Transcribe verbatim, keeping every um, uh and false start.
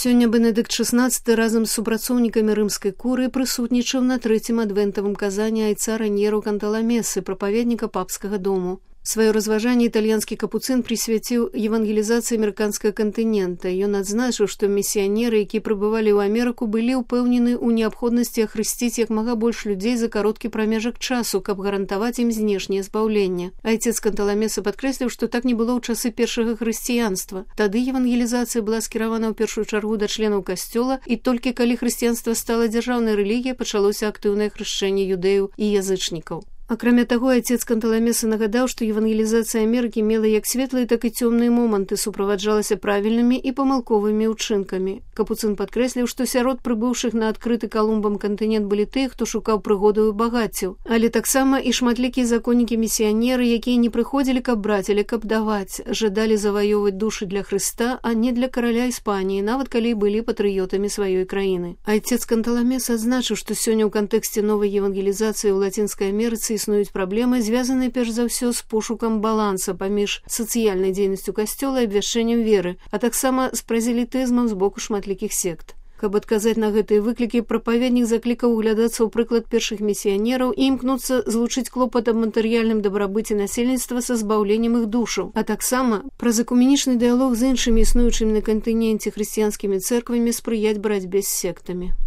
Сёння Бенедыкт шестнадцаты разам з супрацоўнікамі рымскай курыі прысутнічаў на трэцім адвентавым казанні айца Раньеру Канталамесы, прапаведніка папскага дому. Сваё разважанне італьянскі капуцын прысвяціў евангелізацыі амерыканскага кантынента. Ён адзначыў, што місіянеры, якія прыбывалі ў Амерыку, былі ўпэўнены ў неабходнасці ахрысціць як мага больш людзей за кароткі прамежак часу, каб гарантаваць ім знешняе збаўленне. Айцец Канталамеса падкрэсліў, што так не было ў часы першага хрысціянства. Тады евангелізацыя была скіравана ў першую чаргу да членаў касцёла, і толькі калі хрысціянства стала дзяржаўнай рэлігіяй, пачалося актыўнае хрышчэнне юдэяў і язычнікаў. Акрамя таго, айцец Канталамеса нагадаў, што евангелізацыя Амерыкі мела як светлыя, так і цёмныя моманты, суправаджалася правільнымі і памылковымі ўчынкамі. Капуцын падкрэсліў, што сярод прыбыўшых на адкрыты Калумбам кантынент былі тыя, хто шукаў прыгодаў і багаццяў, але таксама і шматлікія законнікі-місіянеры, якія не прыходзілі, каб браць, але каб даваць, жадалі заваёваць душы для Хрыста, а не для караля Іспаніі, нават калі былі патрыётамі сваёй краіны. Айцец Канталамеса адзначыў, што сёння ў кантэксце новай евангелізацыі ў Лацінскай Амерыцы існуюць праблемы, звязаныя перш за ўсё з пошукам баланса паміж сацыяльнай дзейнасцю касцёла і абвяшчэннем веры, а таксама з празелітызмам з боку шматлікіх сект. Каб адказаць на гэтыя выклікі, прапаведнік заклікаў углядацца ў прыклад першых місіянераў і імкнуцца злучыць клопат аб матэрыяльным дабрабыце насельніцтва са збаўленнем іх душаў, а таксама праз экуменічны дыялог з іншымі існуючымі на кантыненце хрысціянскімі цэрквамі спрыяць барацьбе з сектамі.